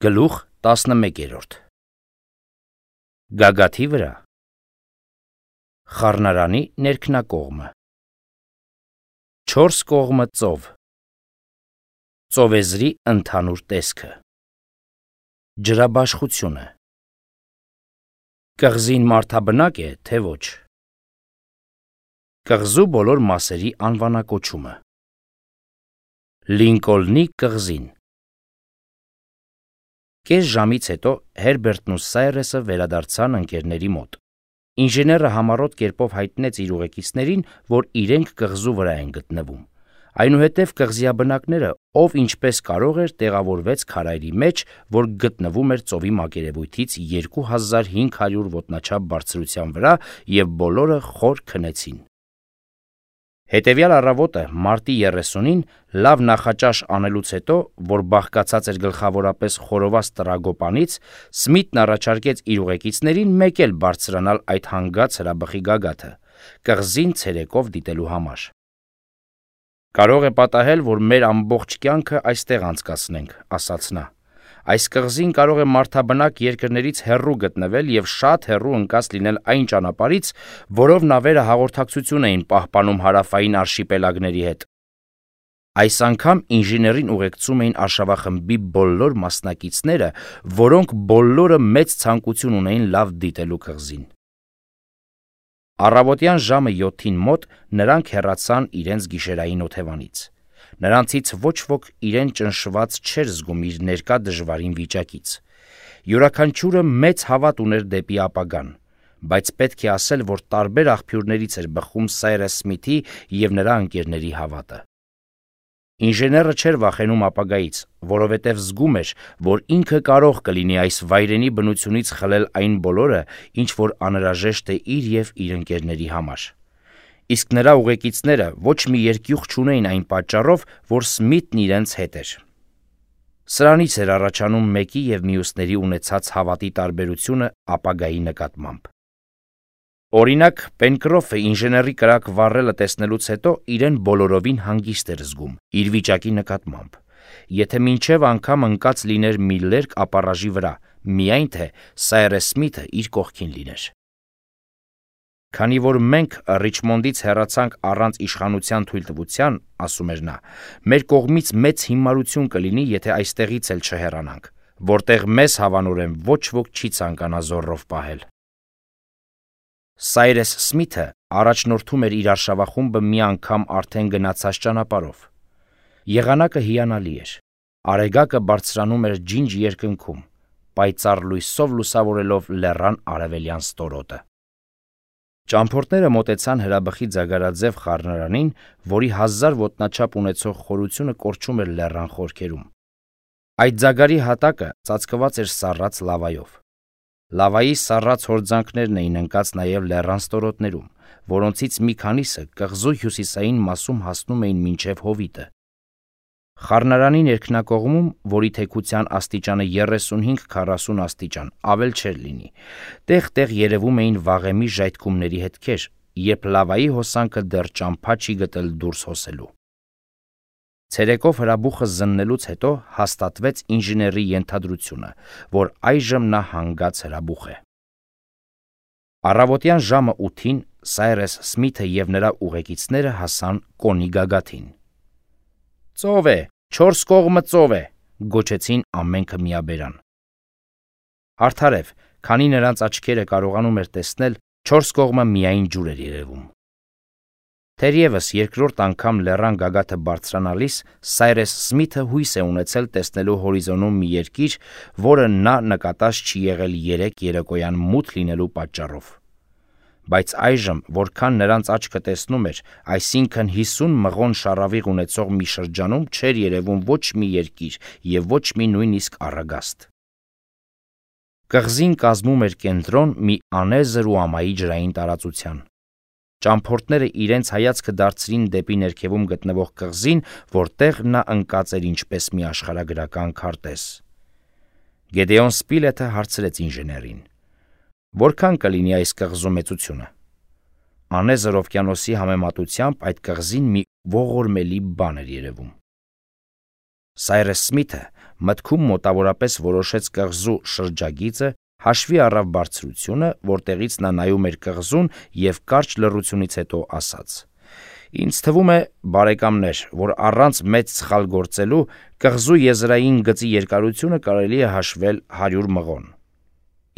Գլուխ 11 Գագաթի վրա խառնարանի ներքնակողմը 4 կողմը ծով ծովեզրի ընդհանուր տեսքը ջրաբաշխությունը կղզին մարդաբնակ է, թե ոչ կղզու բոլոր մասերի անվանակոչումը Լինկոլնի կղզին Կես ժամից հետո Հերբերտն ու Սայրեսը վերադարձան ընկերների մոտ։ Ինժեները համառոտ կերպով հայտնեց իր ուղեկիցներին, որ իրենք կղզու վրա են գտնվում։ Այնուհետև կղզիաբնակները, ով ինչպես կարող էր, տեղավորվեց քարայրի մեջ, որ գտնվում էր ծովի մակերևույթից 2500 ոտնաչափ բարձրության վրա, և բոլորը խոր քնեցին։ Հետևյալ առավոտը, մարտի 30-ին, լավ նախաճաշ անելուց հետո, որ բաղկացած էր գլխավորապես խորոված տրագոպանից, Սմիթն առաջարկեց իր ուղեկիցներին մեկ էլ բարձրանալ այդ հանգած հրաբխի գագաթը, կղզին ցերեկով դիտելու համար։ Կարող է պատահել, որ մեր ամբողջ կյանքը այստեղ անցկացնենք, ասաց նա։ Այս կղզին կարող է մարդաբնակ երկրներից հեռու գտնվել և շատ հեռու ընկած լինել այն ճանապարհից, որով նավերը հաղորդակցություն էին պահպանում հարավային արշիպելագների հետ։ Այս անգամ ինժեներին ուղեկցում էին արշավախմբի բոլոր մասնակիցները, որոնք բոլորը մեծ ցանկություն ունեին լավ դիտելու կղզին։ Առավոտյան ժամը 7-ին մոտ նրանք հեռացան իրենց գիշերային օթևանից։ Նրանցից ոչ ոք իրեն ճնշված չէր զգում իր ներկա դժվարին վիճակից։ Յուրաքանչյուրը մեծ հավատ ուներ դեպի ապագան, բայց պետք է ասել, որ տարբեր աղբյուրներից էր բխում Սայրես Սմիթի և նրա ընկերների հավատը։ Ինժեները չէր վախենում ապագայից, որովհետև զգում էր, որ ինքը կարող կլինի այս վայրենի բնությունից խլել այն բոլորը, ինչ որ անհրաժեշտ է իր և իր ընկերների համար։ Իսկ նրա ուղեկիցները ոչ մի երկյուղ չունեին այն պատճառով, որ Սմիթն իրենց հետ էր։ Սրանից էր առաջանում մեկի և մյուսների ունեցած հավատի տարբերությունը ապագայի նկատմամբ։ Օրինակ, Պենկրոֆը ինժեների կրակ վառելը տեսնելուց հետո իրեն բոլորովին հանգիստ էր զգում իր վիճակի նկատմամբ, եթե մինչև անգամ ընկած լիներ մի լերկ ապառաժի վրա, միայն թե Սայրես Սմիթը իր կողքին լիներ։ Քանի որ մենք Ռիչմոնդից հեռացանք առանց իշխանության թույլտվության, ասում էր նա, մեր կողմից մեծ հիմարություն կլինի, եթե այստեղից էլ չհեռանանք, որտեղ մեզ հավանորեն ոչ ոք չի ցանկանա զոռով պահել։ Սայրես Սմիթը առաջնորդում էր իր արշավախումբը մի անգամ արդեն գնացած ճանապարհով։ Եղանակը հիանալի էր։ Արեգակը բարձրանում էր ջինջ երկնքում, պայծառ լույսով լուսավորելով լեռան արևելյան ստորոտը։ Ճամփորդները մոտեցան հրաբխի ձագարաձև խառնարանին, որի 1000 ոտնաչափ ունեցող խորությունը կորչում էր լեռան խորքերում։ Այդ ձագարի հատակը ծածկված էր սառած լավայով։ Լավայի սառած հորձանքներն էին ընկած նաև լեռան ստորոտներում, որոնցից մի քանիսը կղզու հյուսիսային մասում հասնում էին մինչև հովիտը։ Խառնարանի ներքնակողմում, որի թեքության աստիճանը 35-40 աստիճան, ավել չէր լինի, տեղ-տեղ երևում էին վաղեմի ժայթքումների հետքեր, երբ լավայի հոսանքը դեռ ճամփա չի գտել դուրս հոսելու։ Ցերեկով հրաբուխը զննելուց հետո հաստատվեց ինժեների ենթադրությունը, որ այժմ նա հանգած հրաբուխ է։ Առավոտյան ժամը 8-ին Սայրես Սմիթը և նրա ուղեկիցները հասան Կոնի գագաթին։ «Ծով է, 4 կողմը ծով է», գոչեցին ամենքը միաբերան։ Արդարև, քանի նրանց աչքերը կարողանում էր տեսնել, 4 կողմը միայն ջուր էր երևում։ Թերևս երկրորդ անգամ լեռան գագաթը բարձրանալիս Սայրես Սմիթը հույս է ունեցել տեսնելու հորիզոնում մի երկիր, որը նա նկատած չի եղել 3 երեկոյան մութ լինելու պատճառով։ Բայց այժմ, որքան նրանց աչքը տեսնում էր, այսինքն 50 մղոն շառավիղ ունեցող մի շրջանում չէր երևում ոչ մի երկիր և ոչ մի նույնիսկ առագաստ։ Կղզին կազմում էր կենտրոն մի անեզր ու ամայի ջրային տարածության։ Ճամփորդները իրենց հայացքը դարձրին դեպի ներքևում գտնվող կղզին, որտեղ նա ընկած էր ինչպես մի աշխարհագրական քարտեզ։ Գեդեոն Սպիլեթը հարցրեց ինժեներին. «Որքան կլինի այս կղզու մեծությունը»։ Անեզր օվկիանոսի համեմատությամբ այդ կղզին մի ողորմելի բան էր երևում։ Սայրես Սմիթը մտքում մոտավորապես որոշեց կղզու շրջագիծը, հաշվի առավ բարձրությունը, որտեղից նա նայում էր կղզուն և կարճ լռությունից հետո ասաց. «Ինձ թվում է, բարեկամներ, որ առանց մեծ սխալ գործելու կղզու եզրային գծի երկարությունը կարելի է հաշվել 100 մղոն»։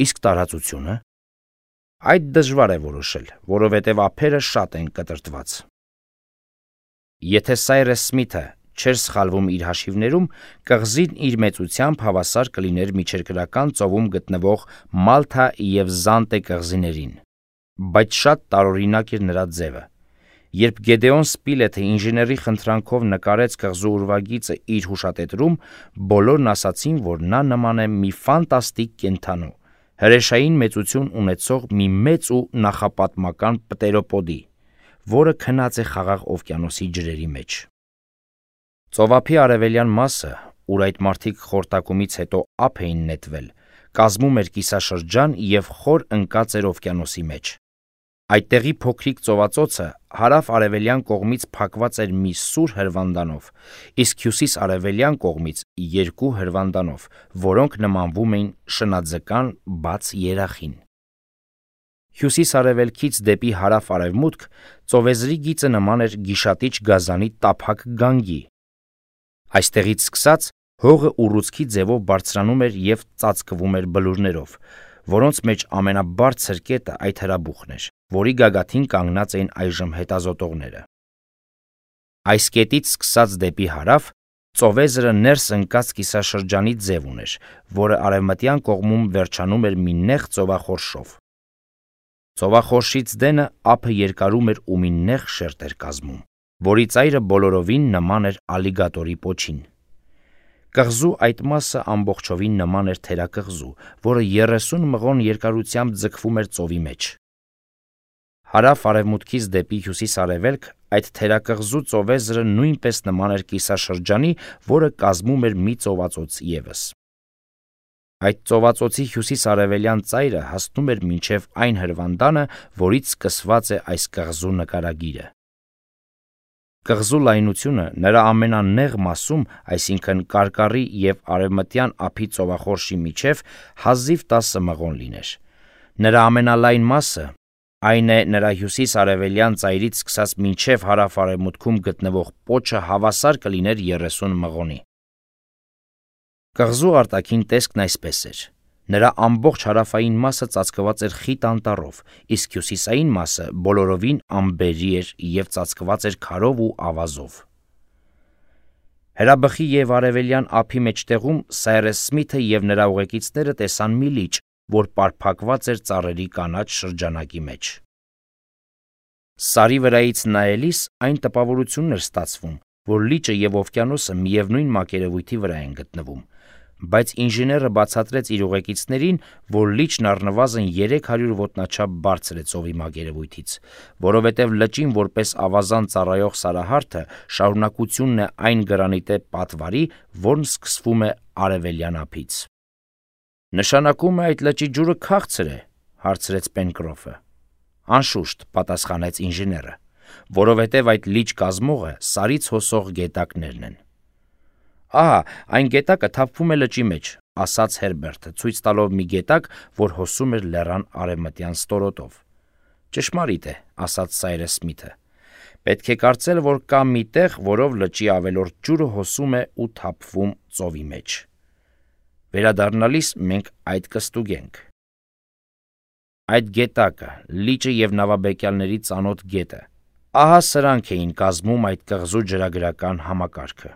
Իսկ տարածությունը։ Այդ դժվար է որոշել, որովհետև ափերը շատ են կտրտված։ Եթե Սայրես Սմիթը չէր սխալվում իր հաշիվներում, կղզին իր մեծությամբ հավասար կլիներ միջերկրական ծովում գտնվող Մալթա և Զանտե կղզիներին։ Բայց շատ տարօրինակ էր նրա ձևը։ Երբ Գեդեոն Սպիլեթը ինժեների խնդրանքով նկարեց կղզու ուրվագիծը իր հուշատետրում, բոլորն ասացին, որ նա նման է մի ֆանտաստիկ կենդանու, հրեշային մեծություն ունեցող մի մեծ ու նախապատմական պտերոպոդի, որը քնած է Խաղաղ օվկիանոսի ջրերի մեջ։ Ծովափի արևելյան մասը, ուր այդ մարդիկ խորտակումից հետո ափ էին նետվել, կազմում էր կիսաշրջան և խոր ընկած էր օվկիանոսի մեջ։ Այդտեղի փոքրիկ ծովածոցը հարավ-արևելյան կողմից փակված էր մի սուր հրվանդանով, իսկ հյուսիս-արևելյան կողմից 2 հրվանդանով, որոնք նմանվում էին շնաձկան բաց երախին։ Հյուսիս-արևելքից դեպի հարավ-արևմուտք ծովեզրի գիծը նման էր գիշատիչ գազանի տափակ գանգի։ Այստեղից սկսած հողը ուռուցքի ձևով բարձրանում էր և ծածկվում էր բլուրներով, որոնց մեջ ամենաբարձր կետը այդ հրաբուխն էր, որի գագաթին կանգնած էին այժմ հետազոտողները։ Այս կետից սկսած դեպի հարավ ծովեզրը ներս ընկած կիսաշրջանի ձև ուներ, որը արևմտյան կողմում վերջանում էր մի նեղ ծովախորշով։ Ծովախորշից դենը ափը երկարում էր ու մի նեղ շերտ էր կազմում, որի ծայրը բոլորովին նման էր ալիգատորի պոչին։ Կղզու այդ մասը ամբողջովին նման էր թերակղզու, որը 30 մղոն երկարությամբ ձգվում էր ծովի մեջ։ Հարավ-արևմուտքից դեպի հյուսիս-արևելք այդ թերակղզու ծովեզրը նույնպես նման էր կիսաշրջանի, որը կազմում էր մի ծովածոց ևս։ Այդ ծովածոցի հյուսիս-արևելյան ծայրը հասնում էր մինչև այն հրվանդանը, որից սկսված է այս կղզու նկարագիրը։ Կղզու լայնությունը նրա ամենանեղ մասում, այսինքն կարկառի և արևմտյան ափի ծովախորշի միջև, հազիվ 10 մղոն լիներ։ Նրա ամենալայն մասը, այն է նրա հյուսիս-արևելյան ծայրից սկսած մինչև հարավ-արևմուտքում գտնվող պոչը հավասար կլիներ 30 մղոնի։ Կղզու արտաքին տեսքն այսպես էր. նրա ամբողջ հարավային մասը ծածկված էր խիտ անտառով, իսկ հյուսիսային մասը բոլորովին ամբերի էր և ծածկված էր քարով ու ավազով։ Հրաբխի և արևելյան ափի մեջտեղում Սայրես Սմիթը և նրա ուղեկիցները տեսան մի լիճ, որ պարփակված էր ծառերի կանաչ շրջանակի մեջ։ Սարի վրայից նայելիս այն տպավորությունն էր ստացվում, որ լիճը և օվկիանոսը միևնույն մակերևույթի վրա են գտնվում, բայց ինժեները բացատրեց իր ուղեկիցներին, որ լիճն առնվազն 300 ոտնաչափ բարձր է ծովի մակերևույթից, որովհետև լճին որպես ավազան ծառայող սարահարթը շարունակությունն է այն գրանիտե պատվարի, որն սկսվում է արևելյան ափից։ «Նշանակում է այդ լճի ջուրը քաղցր է», հարցրեց Պենկրոֆը։ «Անշուշտ», պատասխանեց ինժեները, որովհետև այդ լիճ կազմողը սարից հոսող գետակներն են։ «Ահա, այն գետակը թափվում է լճի մեջ», ասաց Հերբերտը, ցույց տալով մի գետակ, որ հոսում էր լեռան արևմտյան ստորոտով։ «Ճշմարիտ է», ասաց Սայրես Սմիթը։ «Պետք է կարծել, որ կա մի տեղ, որով լճի ավելորդ ջուրը հոսում է ու թափվում ծովի մեջ։ Վերադառնալիս մենք այդ կստուգենք»։ Այդ գետակը, լիճը և նավաբեկյալների ծանոթ գետը, ահա սրանք էին կազմում այդ կղզու ջրագրական համակարգը։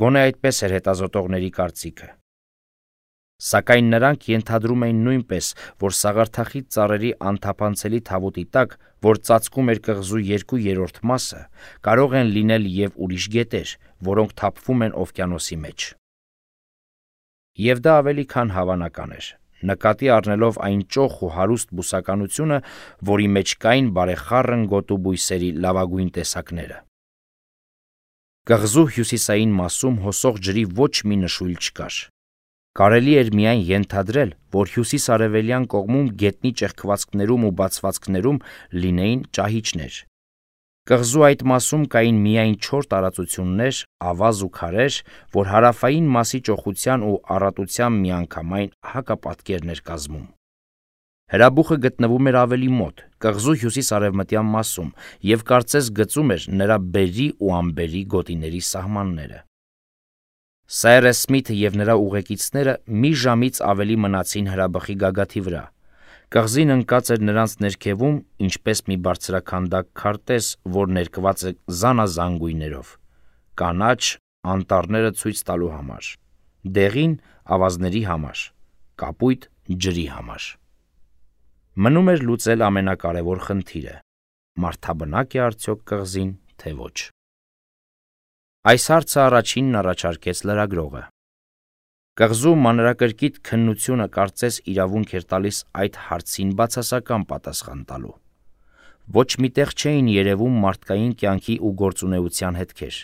Գոնե այդպես էր հետազոտողների կարծիքը։ Սակայն նրանք ենթադրում էին նույնպես, որ սաղարթախիտ ծառերի անթափանցելի թավուտի տակ, որ ծածկում էր կղզու 2/3 մասը, կարող են լինել և ուրիշ գետեր, որոնք թափվում են օվկիանոսի մեջ։ Եվ դա ավելի քան հավանական էր, նկատի առնելով այն ճոխ ու հարուստ բուսականությունը, որի մեջ կային բարեխառն գոտու բույսերի լավագույն տեսակները։ Կղզու հյուսիսային մասում հոսող ջրի ոչ մի նշույլ չկար։ Կարելի էր միայն ենթադրել, որ հյուսիս-արևելյան կողմում գետնի ճեղքվածքներում ու բացվածքներում լինեին ճահիճներ։ Կղզու այդ մասում կային միայն 4 տարածություններ, ավազ ու քարեր, որ հարավային մասի ճոխության ու առատության միանգամայն հակապատկերն էր կազմում։ Հրաբուխը գտնվում էր ավելի մոտ, կղզու հյուսիս-արևմտյան մասում, և կարծես գծում էր նրա բերի ու անբերի գոտիների սահմանները։ Սայրես Սմիթը և նրա ուղեկիցները մի ժամից ավելի մնացին հրաբխի գագաթի վրա։ Կղզին ընկած էր նրանց ներքևում, ինչպես մի բարձրաքանդակ քարտեզ, որ ներկված է զանազան գույներով՝ կանաչ, անտառները ցույց տալու համար, դեղին ավազների համար, կապույտ ջրի համար։ Մնում էր լուծել ամենակարևոր խնդիրը՝ մարդաբնակ է արդյոք կղզին, թե ոչ։ Այս հարցը առաջինն առաջարկեց լրագրողը։ Կղզու մանրակրկիտ քննությունը կարծես իրավունք էր տալիս այդ հարցին բացասական պատասխան տալու։ Ոչ մի տեղ չէին երևում մարդկային կյանքի ու գործունեության հետքեր։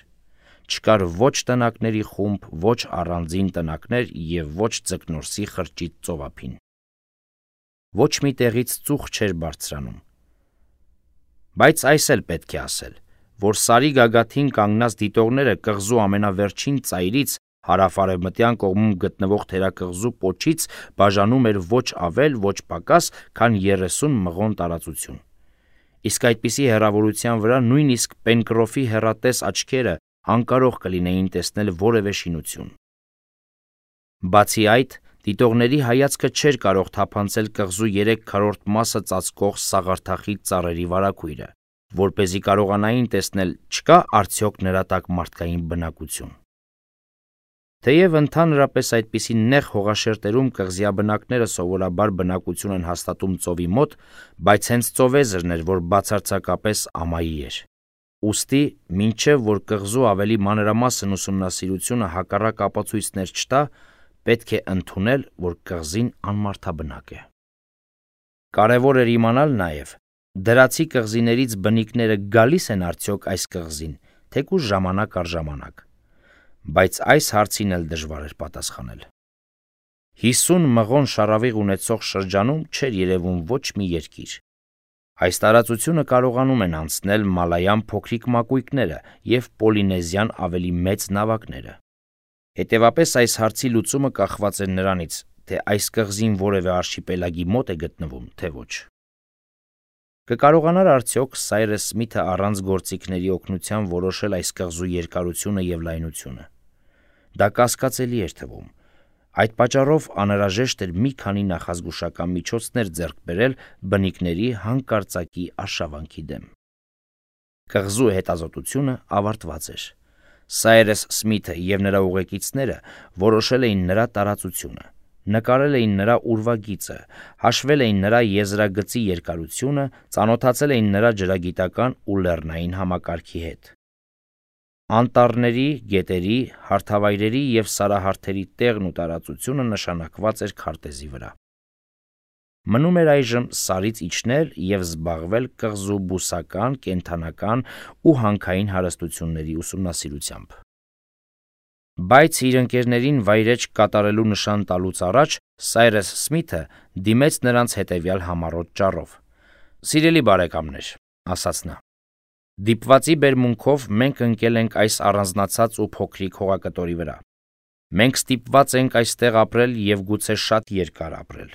Չկար ոչ տնակների խումբ, ոչ առանձին տնակներ և ոչ ձկնորսի խրճիթ ծովափին։ Ոչ մի տեղից ծուխ չէր բարձրանում։ Բայց այս էլ պետք է ասել, որ Սարի գագաթին կանգնած դիտողները կղզու ամենավերջին ծայրից հարավ-արևմտյան կողմում գտնվող թերակղզու պոչից բաժանում էր ոչ ավել, ոչ պակաս, քան 30 մղոն տարածություն։ Իսկ այդպիսի հեռավորության վրա նույնիսկ Պենկրոֆի հեռատես աչքերը անկարող կլինեին տեսնել որևէ շինություն։ Բացի այդ, դիտողների հայացքը չէր կարող թափանցել կղզու 3/4 մասը ծածկող սաղարթախիտ ծառերի վարագույրը, որպեսզի կարողանային տեսնել չկա արդյոք նրա տակ մարդկային բնակություն։ Թեև ընդհանրապես այդպիսի նեղ հողաշերտերում կղզիաբնակները սովորաբար բնակություն են հաստատում ծովի մոտ, բայց հենց ծովեզրն էր, որ բացարձակապես ամայի էր։ Ուստի, մինչև որ կղզու ավելի մանրամասն ուսումնասիրությունը հակառակ ապացույցներ չտա, պետք է ընդունել, որ կղզին անմարդաբնակ է։ Կարևոր էր իմանալ նաև, դրացի կղզիներից բնիկները գալիս են արդյոք այս կղզին, թեկուզ ժամանակ առ ժամանակ։ Բայց այս հարցին էլ դժվար էր պատասխանել։ 50 մղոն շառավիղ ունեցող շրջանում չէր երևում ոչ մի երկիր։ Այս տարածությունը կարողանում են անցնել մալայան փոքրիկ մակույկները և պոլինեզիան ավելի մեծ նավակները։ Հետևապես այս հարցի լուծումը կախված էր նրանից, թե այս կղզին որևէ արշիպելագի մոտ է գտնվում, թե ոչ։ Կկարողանար արդյոք Սայրես Սմիթը առանց գործիքների օգնության որոշել այս կղզու երկարությունը և լայնությունը։ Դա կասկածելի էր թվում։ Այդ պատճառով անհրաժեշտ էր մի քանի նախազգուշական միջոցներ ձեռք բերել բնիկների հանկարծակի արշավանքի դեմ։ Կղզու հետազոտությունը ավարտված էր։ Սայրես Սմիթը և նրա ուղեկիցները որոշել էին նրա տարածությունը, նկարել էին նրա ուրվագիծը, հաշվել էին նրա եզրագծի երկարությունը, ծանոթացել էին նրա ջրագիտական ու լեռնային համակարգի հետ։ Անտառների, գետերի, հարթավայրերի և սարահարթերի տեղն ու տարածությունը նշանակված էր քարտեզի վրա։ Մնում էր այժմ Սարից իջնել և զբաղվել կղզու բուսական, կենդանական ու հանքային հարստությունների ուսումնասիրությամբ։ Բայց իր ընկերներին վայրէջք կատարելու նշան տալուց առաջ Սայրես Սմիթը դիմեց նրանց հետևյալ համառոտ ճառով։ «Սիրելի բարեկամներ», ասաց նա, «դիպվածի բերմունքով մենք ընկել ենք այս առանձնացած ու փոքրիկ հողակտորի վրա։ Մենք ստիպված ենք այստեղ ապրել և գուցե շատ երկար ապրել։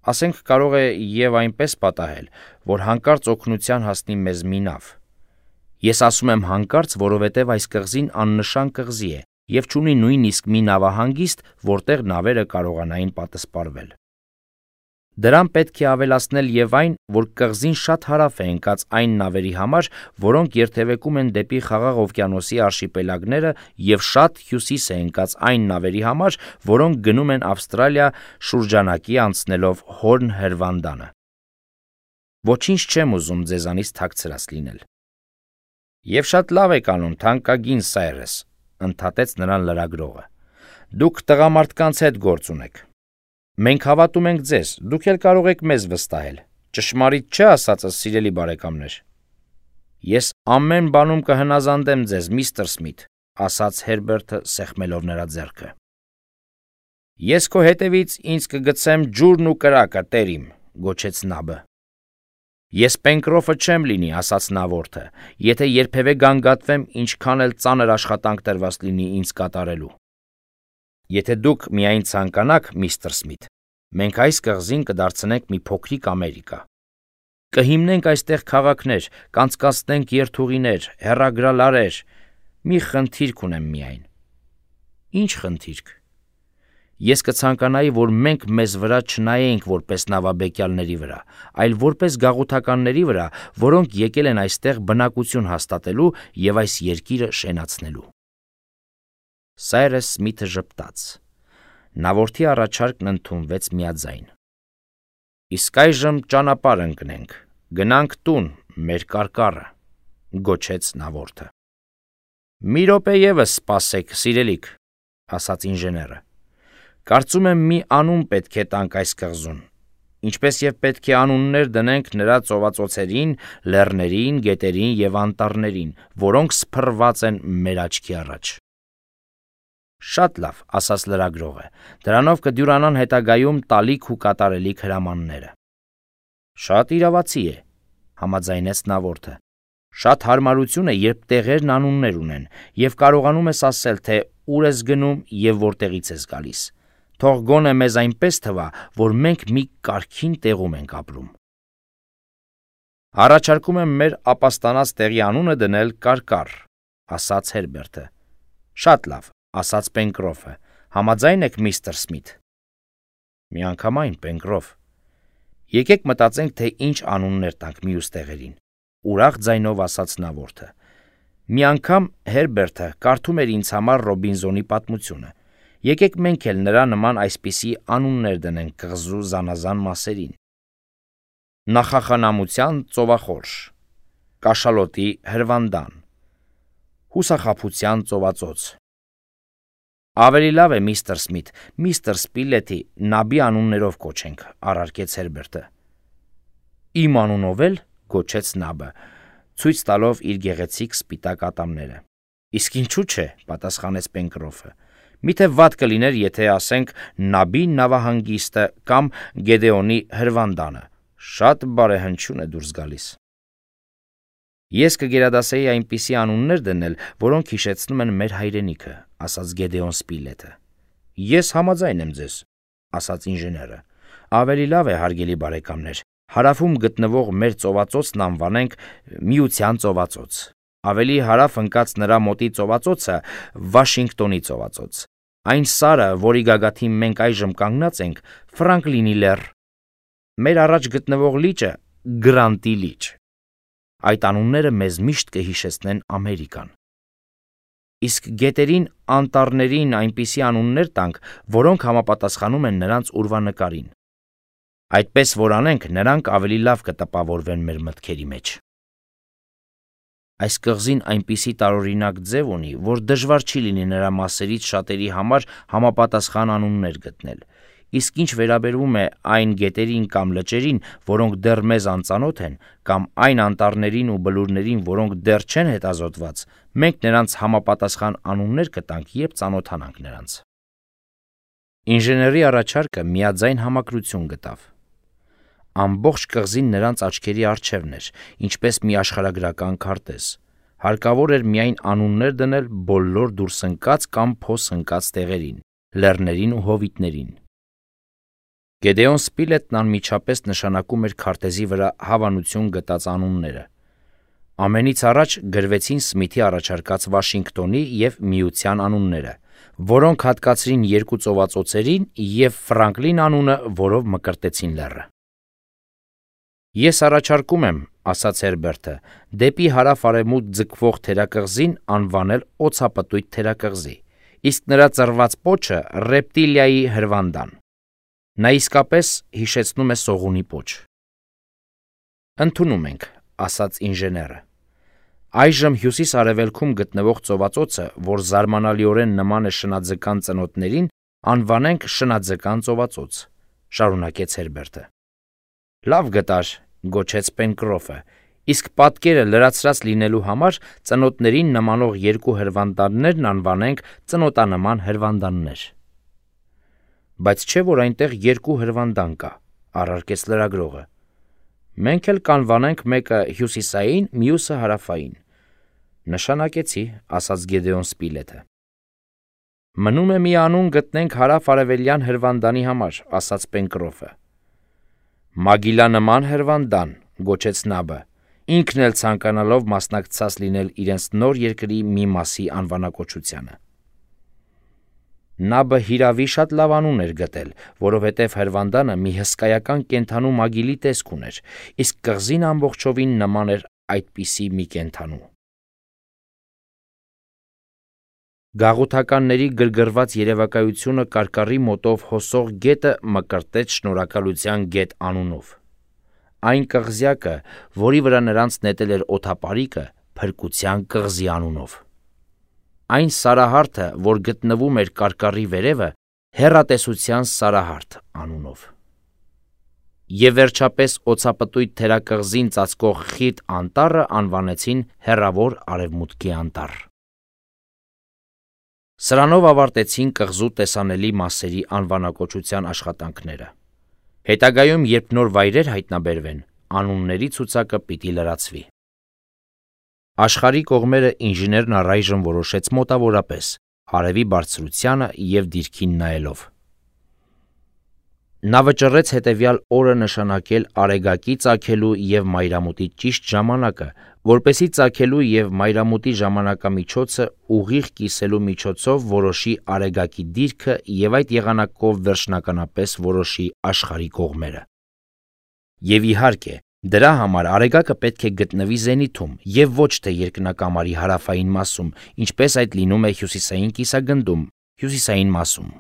Ասենք կարող է և այնպես պատահել, որ հանկարծ օգնության հասնի մեզ մի նավ։ Ես ասում եմ հանկարծ, որովհետև այս կղզին աննշան կղզի է և չունի նույնիսկ մի նավահանգիստ, որտեղ նավերը կարողանային պատսպարվել։ Դրան պետք է ավելացնել և այն, որ կղզին շատ հարավ է ընկած այն նավերի համար, որոնք երթևեկում են դեպի Խաղաղ օվկիանոսի արշիպելագները և շատ հյուսիս է ընկած այն նավերի համար, որոնք գնում են Ավստրալիա շուրջանակի անցնելով Հորն հրվանդանը։ Ոչինչ չեմ ուզում ձեզանից թաքցրած լինել։ Եվ շատ լավ եք անում, թանկագին Սայրես, ընդհատեց նրան լրագրողը։ Դուք տղամարդկանց հետ գործ ունեք։ Մենք հավատում ենք ձեզ, դուք էլ կարող եք մեզ վստահել։ Ճշմարիտ չէ ասածս, սիրելի բարեկամներ։ Ես ամեն բանում կհնազանդեմ ձեզ, միստր Սմիթ, ասաց Հերբերտը սեղմելով նրա ձեռքը։ Ես քո հետևից ինձ կգցեմ ջուրն ու կրակը, տեր իմ, գոչեց Նաբը։ Ես Պենկրոֆը չեմ լինի, ասաց Նավորդը, եթե երբևէ գանգատվեմ, ինչքան էլ ծանր աշխատանք տրված լինի ինձ կատարելու։ Եթե դուք միայն ցանկանաք, միստր Սմիթ, մենք այս կղզին կդարձնենք մի փոքրիկ Ամերիկա։ Կհիմնենք այստեղ քաղաքներ, կանցկացնենք երթուղիներ, հեռագրալարեր։ Մի խնդիրք ունեմ միայն։ Ինչ խնդիրք։ Ես կցանկանայի, որ մենք մեզ վրա չնայենք որպես նավաբեկյալների վրա, այլ որպես գաղութականների վրա, որոնք եկել են այստեղ բնակություն հաստատելու և այս երկիրը շենացնելու։ Սայրս Սմիթը ժպտաց։ Նավորդի առաջարկն ընդունվեց միաձայն։ Իսկ այժմ ճանապարհ ընկնենք, գնանք տուն, մեր կարկառը, գոչեց Նավորդը։ Մի րոպե ևս սպասեք, սիրելիք, ասաց ինժեները։ Կարծում եմ մի անուն պետք է տանք այս կղզուն, ինչպես և պետք է անուններ դնենք նրա ծովածոցերին, լեռներին, գետերին և անտառներին, որոնք սփռված են մեր աչքի առաջ։ Շատ լավ, ասաց լրագրողը, դրանով կդյուրանան հետագայում տալիք ու կատարելիք հրամանները։ Շատ իրավացի է, համաձայնեց Նավորդը։ Շատ հարմարություն է, երբ տեղերն անուններ ունեն, և կարողանում ես ասել, թե ուր ես գնում և որտեղից ես գալիս։ Թող գոնե մեզ այնպես թվա, որ մենք մի կարգին տեղում ենք ապրում։ Առաջարկում եմ մեր ապաստանած տեղի անունը դնել Կարկառ, ասաց Հերբերտը։ Շատ լավ, ասաց Պենկրոֆը, համաձայն եք, միստր Սմիթ։ Միանգամայն, Պենկրոֆ։ Եկեք մտածենք, թե ինչ անուններ տանք մյուս տեղերին, ուրախ ձայնով ասաց Նավորդը։ Մի անգամ Հերբերտը կարդում էր ինձ համար Ռոբինզոնի պատմությունը։ Եկեք մենք էլ նրա նման այսպիսի անուններ դնենք կղզու զանազան մասերին։ Նախախնամության ծովախորշ, կաշալոտի հրվանդան, հուսախաբության ծովածոց։ Ավելի լավ է, միստր Սմիթ, միստր Սպիլետի նաբի անուններով կոչենք, առարկեց Հերբերտը։ Իմ անունով էլ, գոչեց նաբը, ցույց տալով իր գեղեցիկ սպիտակ ատամները։ Իսկ ինչու՞ չէ, պատասխանեց Պենկրոֆը։ Միթե վատ կլիներ, եթե ասենք նաբի նավահանգիստը կամ Գեդեոնի հրվանդանը։ Շատ բարեհնչյուն է դուրս գալիս։ Ես կգերադասեի այնպիսի անուններ դնել, որոնք հիշեցնում են մեր հայրենիքը, ասաց Գեդեոն Սպիլետը։ Ես համաձայն եմ ձեզ, ասաց ինժեները։ Ավելի լավ է, հարգելի բարեկամներ, հարավում գտնվող մեր ծովածոցն անվանենք Միության ծովածոց։ Ավելի հարավ ընկած նրա մոտի ծովածոցը Վաշինգտոնի ծովածոց։ Այն սարը, որի գագաթին մենք այժմ կանգնած ենք, Ֆրանկլինի լեռ։ Մեր առաջ գտնվող լիճը Գրանտի լիճ։ Այդ անունները մեզ միշտ կհիշեցնեն Ամերիկան։ Իսկ գետերին, անտառներին այնպիսի անուններ տանք, որոնք համապատասխանում են նրանց ուրվանկարին։ Այդպես որ անենք, նրանք ավելի լավ կտպավորվեն մեր մտքերի մեջ։ Այս կղզին այնպիսի տարօրինակ ձև ունի, որ դժվար չի լինի նրա մասերից շատերի համար համապատասխան անուններ գտնել։ Իսկ ինչ վերաբերում է այն գետերին կամ լճերին, որոնք դեռ մեզ անծանոթ են, կամ այն անտառներին ու բլուրներին, որոնք դեռ չեն հետազոտված, մենք նրանց համապատասխան անուններ կտանք, երբ ծանոթանանք նրանց։ Ինժեների առաջարկը միաձայն համակրություն գտավ։ Ամբողջ կղզին նրանց աչքերի առջևն էր, ինչպես մի աշխարհագրական քարտեզ։ Հարկավոր էր միայն անուններ դնել բոլոր դուրս ընկած կամ փոս ընկած տեղերին, լեռներին ու հովիտներին։ Գեդեոն Սպիլետն անմիջապես նշանակում էր քարտեզի վրա հավանություն գտած անունները։ Ամենից առաջ գրվեցին Սմիթի առաջարկած Վաշինգտոնի և Միության անունները, որոնք հատկացրին երկու ծովածոցերին և Ֆրանկլին անունը, որով մկրտեցին լեռը։ Ես առաջարկում եմ, ասաց Հերբերտը, դեպի հարավ-արևմուտք ձգվող թերակղզին անվանել օձապտույտ թերակղզի, իսկ նրա ծռված պոչը Ռեպտիլիայի հրվանդան։ Նա իսկապես հիշեցնում է սողունի պոչ։ Ընդունում ենք, ասաց ինժեները։ Այժմ հյուսիս-արևելքում գտնվող ծովածոցը, որ զարմանալիորեն նման է շնաձկան ծնոտներին, անվանենք շնաձկան ծովածոց, շարունակեց Հերբերտը։ Լավ գտար, գոչեց Պենկրոֆը, իսկ պատկերը լրացրած լինելու համար ծնոտներին նմանող երկու հրվանդաններն անվանենք ծնոտանման հրվանդաններ։ Բայց չէ՞ որ այնտեղ երկու հրվանդան կա, առարկեց լրագրողը։ Մենք էլ կանվանենք մեկը հյուսիսային, մյուսը հարավային։ Նշանակեցի, ասաց Գեդեոն Սպիլեթը։ Մնում է մի անուն գտնենք հարավ-արևելյան հրվանդանի համար, ասաց Պենկրոֆը։ Մագիլա նման հրվանդան, գոչեց Նաբը, ինքն էլ ցանկանալով մասնակցած լինել իրենց նոր երկրի մի մասի անվանակոչությանը։ Նաբը հիրավի շատ լավ անուն էր գտել, որովհետև հրվանդանը մի հսկայական կենդանու մագիլի տեսք ուներ, իսկ կղզին ամբողջովին նման էր այդպիսի մի կենդանու։ Գաղութականների գրգռված երևակայությունը կարկառի մոտով հոսող գետը մկրտեց շնորհակալության գետ անունով։ Այն կղզյակը, որի վրա նրանց նետել էր օդապարիկը, փրկության կղզի անունով։ Այն սարահարթը, որ գտնվում էր կարկառի վերևը, հեռատեսության սարահարթ անունով։ Եվ վերջապես օձապտույտ թերակղզին ծածկող խիտ անտառը անվանեցին հեռավոր արևմուտքի անտառ։ Սրանով ավարտեցին կղզու տեսանելի մասերի անվանակոչության աշխատանքները։ Հետագայում, երբ նոր վայրեր հայտնաբերվեն, անունների ցուցակը պիտի լրացվի։ Աշխարհի կողմերը ինժեներն առայժմ որոշեց մոտավորապես արևի բարձրությանը և դիրքին նայելով։ Նա վճռեց հետևյալ օրը նշանակել Արեգակի ծագելու և մայրամուտի ճիշտ ժամանակը, որպեսզի ծագելու և մայրամուտի ժամանակամիջոցը ուղիղ կիսելու միջոցով որոշի Արեգակի դիրքը և այդ եղանակով վերջնականապես որոշի աշխարհի կողմերը։ Եվ իհարկե, դրա համար Արեգակը պետք է գտնվի զենիթում և ոչ թե երկնակամարի հարավային մասում, ինչպես այդ լինում է հյուսիսային կիսագնդում, հյուսիսային մասում։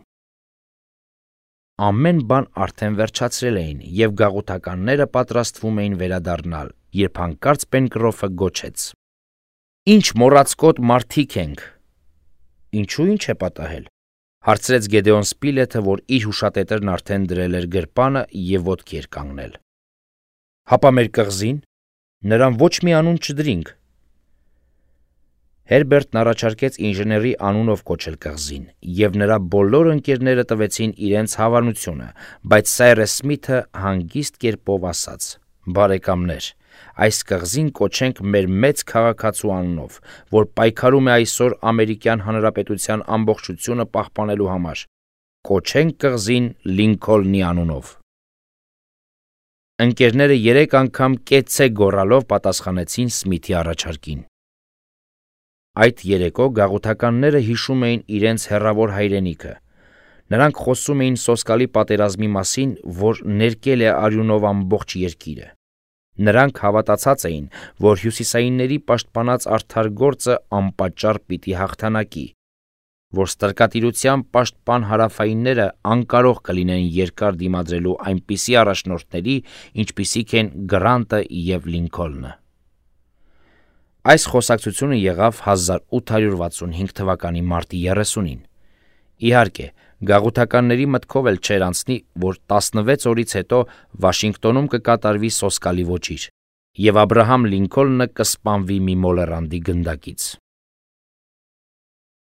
Ամեն բան արդեն վերջացրել էին, և գաղութականները պատրաստվում էին վերադառնալ, երբ հանկարծ Պենկրոֆը գոչեց. «Ինչ մոռացկոտ մարդիկ ենք»։ Ինչու ինչ է պատահել, հարցրեց Գեդեոն Սպիլեթը, որ իր հուշատետրն արդեն դրել էր գրպանը և ոտքի էր կանգնել։ Հապա մեր կղզին, նրան ոչ մի անուն չդրինք։ Հերբերտն առաջարկեց ինժեների անունով կոչել կղզին, և նրա բոլոր ընկերները տվեցին իրենց հավանությունը, բայց Սայրես Սմիթը հանգիստ կերպով ասաց. «Բարեկամներ, այս կղզին կոչենք մեր մեծ քաղաքացու անունով, որ պայքարում է այսօր Ամերիկյան Հանրապետության ամբողջությունը պահպանելու համար։ Կոչենք կղզին Լինքոլնի անունով»։ Ընկերները 3 անգամ կեցցե գոռալով պատասխանեցին Սմիթի առաջարկին։ Այդ երեկո գաղութականները հիշում էին իրենց հեռավոր հայրենիքը։ Նրանք խոսում էին սոսկալի պատերազմի մասին, որ ներկել է արյունով ամբողջ երկիրը։ Նրանք հավատացած էին, որ հյուսիսայինների պաշտպանած արդար գործը անպատճառ պիտի հաղթանակի, որ ստրկատիրության պաշտպան հարավայինները անկարող կլինեն երկար դիմադրելու այնպիսի առաջնորդների, ինչպիսիք են Գրանտը և Լինքոլնը։ Այս խոսակցությունը եղավ 1865 թվականի մարտի 30-ին։ Իհարկե, գաղութականների մտքով էլ չէր անցնի, որ 16 օրից հետո Վաշինգտոնում կկատարվի սոսկալի ոճիր, և Աբրահամ Լինքոլնը կսպանվի մի մոլեռանդի գնդակից։